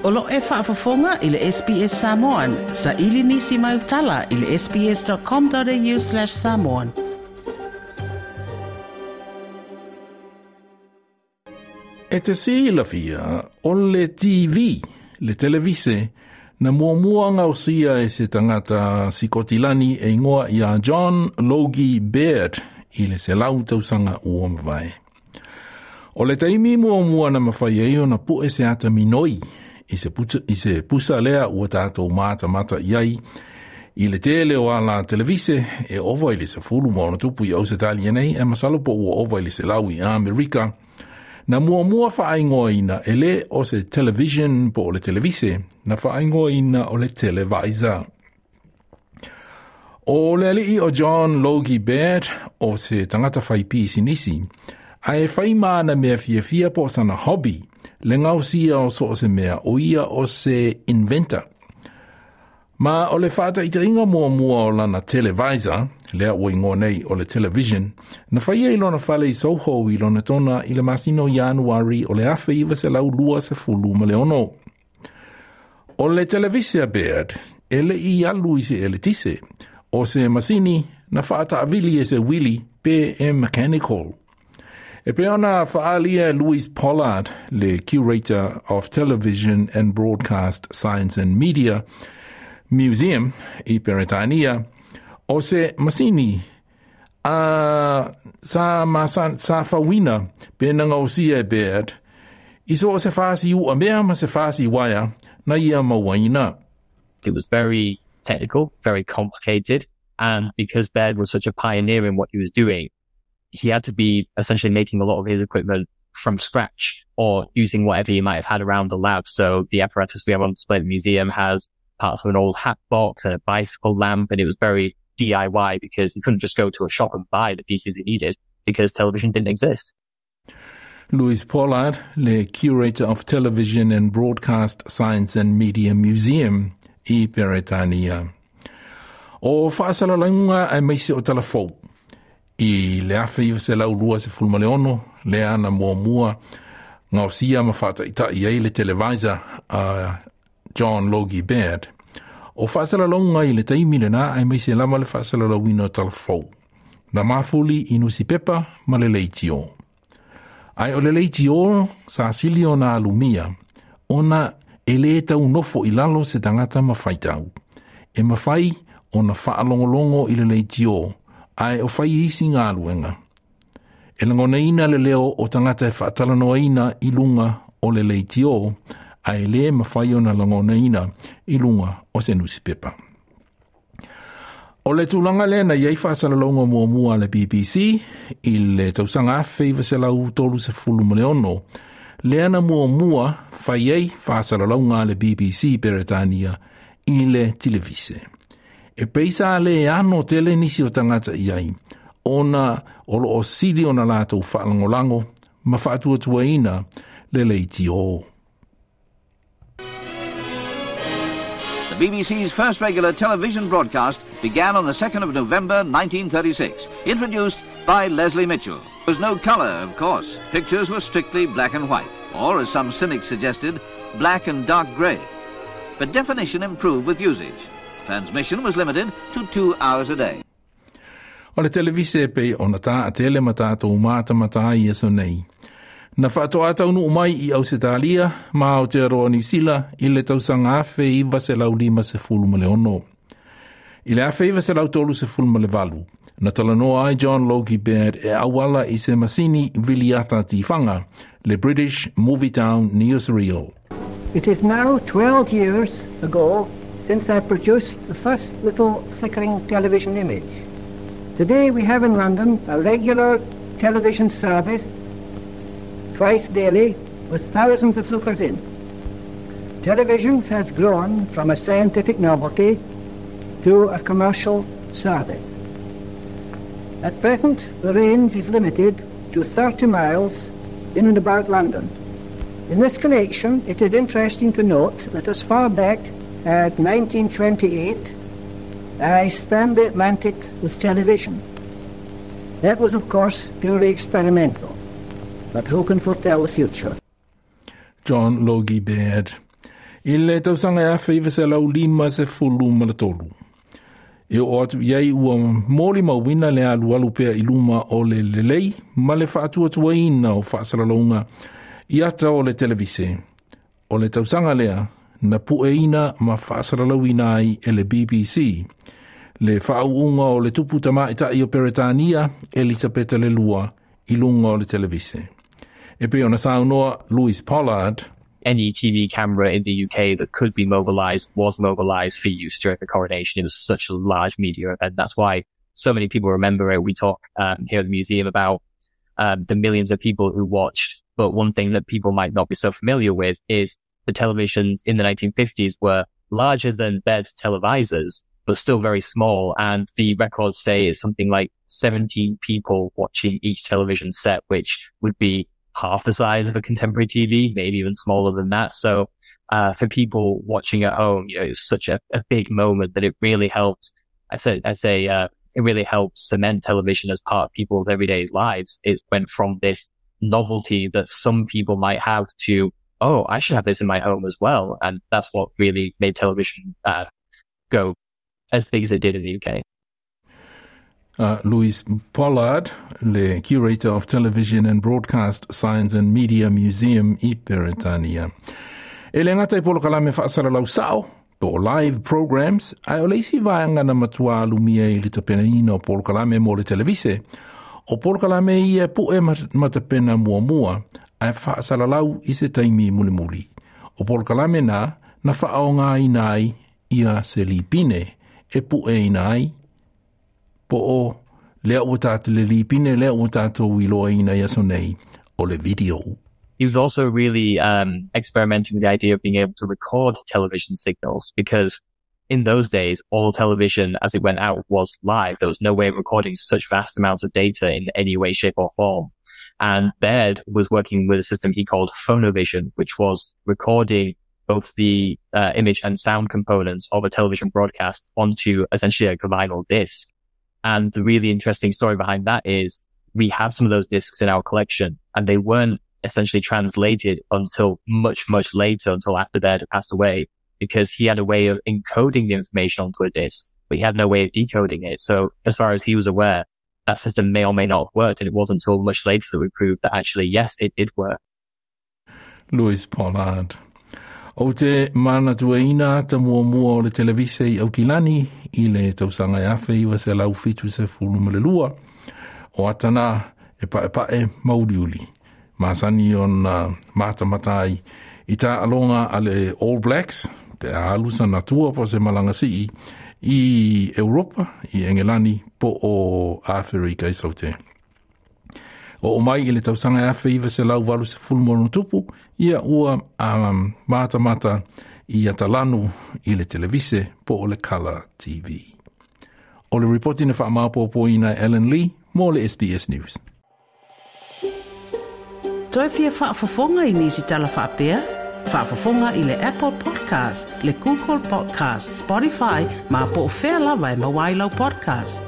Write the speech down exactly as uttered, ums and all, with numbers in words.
O lo e faafofoga i le S B S Samoan, sa ili nisi mai utala i le S B S dot com dot A U slash samoan. E te silafia o le T V, le televise, na muamua gausia e se tagata Sikotilani e igoa ia John Logie Baird i le selau tausaga ua mavae. O le taimi muamua na mafai ai ona pue se ata minoi i se, puta, i se pusa lea ua tatou matamata i ai i le tele o ala televise e ova i le sefulu ma ona tupu i Ausetalia nei, e masalo po ua ova i le selau i Amerika. Na muamua faaigoaina e le o se television po o le televise, na faaigoaina o le televisor. O le alii o John Logie Baird o se tagata fai pisinisi, ae fai ma ana mea fiafia po o sana hobby, le gausia o so o se mea, o ia o se inventor. Ma o le faataitaiga muamua o lana televisor, lea ua igoa nei o le television, na faia i lona fale i Soho i Lonetona i le masina o Ianuari o le afe iva selau lua sefulu ma le ono. O le televise a Baird, e le i alu i se eletise, o se masini na faataavili e se uili pe e mechanical. E pei ona faaalia Louise Pollard, le curator of Television and Broadcast Science and Media Museum i Peretania, o se masini a sa, ma, sa, sa fauina pe na gausia e Baird, i so o se fasi ua mea ma se fasi waia na ia mauaina. It was very technical, very complicated. And because Baird was such a pioneer in what he was doing, he had to be essentially making a lot of his equipment from scratch or using whatever he might have had around the lab. So the apparatus we have on display at the museum has parts of an old hat box and a bicycle lamp. And it was very D I Y because he couldn't just go to a shop and buy the pieces he needed because television didn't exist. Louise Pollard, le curator of Television and Broadcast Science and Media Museum i Peretania. O faasalalauga aemaise o talafou i le afe iva selau lua sefulu ma le ono, lea na muamua gaosia ma faataitai ai le televisor a John Logie Baird. O faasalalauga i le taimi lenā aemaise lava le faasalalauina o talafou, na mafuli i nusipepa ma le leitio. Ae o le leitio sa sili ona alumia, ona e lē taunofo i lalo se tagata ma faitau. E mafai ona faalogologo i le leitio, ae o fai isi galuega. E lagonaina le leo o tagata e faatalanoaina i luga o le leitio, ae lē mafai ona lagonaina i luga o se nusipepa. O le tulaga lea na iai faasalalauga muamua a le B B C i le tausaga afe iva selau tolu sefulu ma le ono, lea na muamua fai ai faasalalauga a le B B C Peretania i le televise. E pei sa le ano tele nisi o tagata i ai, ona o lo o sili ona latou faalagolago ma faatuatuaina le leitio. The B B C's first regular television broadcast began on the second of November nineteen thirty-six, introduced by Leslie Mitchell. There was no colour, of course. Pictures were strictly black and white, or as some cynics suggested, black and dark grey. But definition improved with usage. Transmission was limited to two hours a day. O le televise pei ona taatele ma tatou matamata ai i aso nei, na faatoa taunuu mai i Ausetalia ma Aotearoa Niu Sila i le tausaga afe iva selau lima sefulu ma le ono. I le afe iva selau tolu sefulu ma le valu, na talanoa ai John Logie Baird e auala i se masini viliata tifaga, le British Movietone Newsreel. It is now twelve years ago since I produced the first little flickering television image. Today we have in London a regular television service twice daily with thousands of lookers in. Television has grown from a scientific novelty to a commercial service. At present, the range is limited to thirty miles in and about London. In this connection, it is interesting to note that as far back as nineteen twenty-eight, I spanned the Atlantic with television. That was, of course, purely experimental. But who can foretell the future? John Logie Baird. I le tausaga e afe iva selau lima sefulu ma le tolu. E o atu i ai ua molimauina le alualu pea i luma o le lelei ma le faatuatuaina o faasalalauga i ata o le televise. O le tausaga lea na pueina ma faasalalauina ai e le B B C. Le faauuga o le tupu tamaita'i o Peretania Elisapeta le Lua i luga o le televise. E pei ona saunoa Louis Pollard. Any T V camera in the U K that could be mobilized was mobilized for use during the coronation. It was such a large media event. That's why so many people remember it. We talk um, here at the museum about um, the millions of people who watched. But one thing that people might not be so familiar with is the televisions in the nineteen fifties were larger than Baird's televisors, but still very small. And the records say it's something like seventeen people watching each television set, which would be half the size of a contemporary T V, maybe even smaller than that. So, uh, for people watching at home, you know, it was such a, a big moment that it really helped. I say, I say, uh, it really helped cement television as part of people's everyday lives. It went from this novelty that some people might have to, oh, I should have this in my home as well. And that's what really made television, uh, go as big as it did in the U K. Uh, Louis Pollard, le Curator of Television and Broadcast Science and Media Museum i Peretania. E le ngata i polokalame faasalalau sao, po live programs, ai o le isi vaega na matua lumia i le tapenaina o polokalame mo le televise. O polokalame ia pu'e matapena muamua, ai faasalalau i se taimi mulimuli. O polokalame na, na faaoga ina ai ia se lipine, e pu'e ina ai, po o lea ua tātou le lipine, lea ua tātou iloa ina ia so nei, o le video. He was also really um, experimenting with the idea of being able to record television signals, because in those days, all television as it went out was live. There was no way of recording such vast amounts of data in any way, shape or form. And Baird was working with a system he called Phonovision, which was recording both the uh, image and sound components of a television broadcast onto essentially a vinyl disc. And the really interesting story behind that is we have some of those discs in our collection, and they weren't essentially translated until much, much later, until after Baird had passed away, because he had a way of encoding the information onto a disc, but he had no way of decoding it. So as far as he was aware, that system may or may not have worked. And it wasn't until much later that we proved that actually, yes, it did work. Louis Pollard. O te manatuaina ta muamua o le televise i Aukilani i le tausaga e afe iwa selau fitu sefulu ma le lua. O atana e paepae mauliuli. Masani ona matamatai i tā alonga a le All Blacks, pe a alu sa natua po se malanga sii, i Europa, i Engelani, po o Afrika i Saute. O o mai i le tausaga e afe iwa selau valu sefulu ma ona tupu, ia ua um, matamata i atalanu i le televise po o le Colour T V. O le ripoti na whaamapopoina Ellen Lee mo le S B S News. Toi fia faafofoga i nisi tala faapea? Faafofoga i le Apple Podcast, le Google Podcast, Spotify, ma po o fea lava e maua ai lau podcast.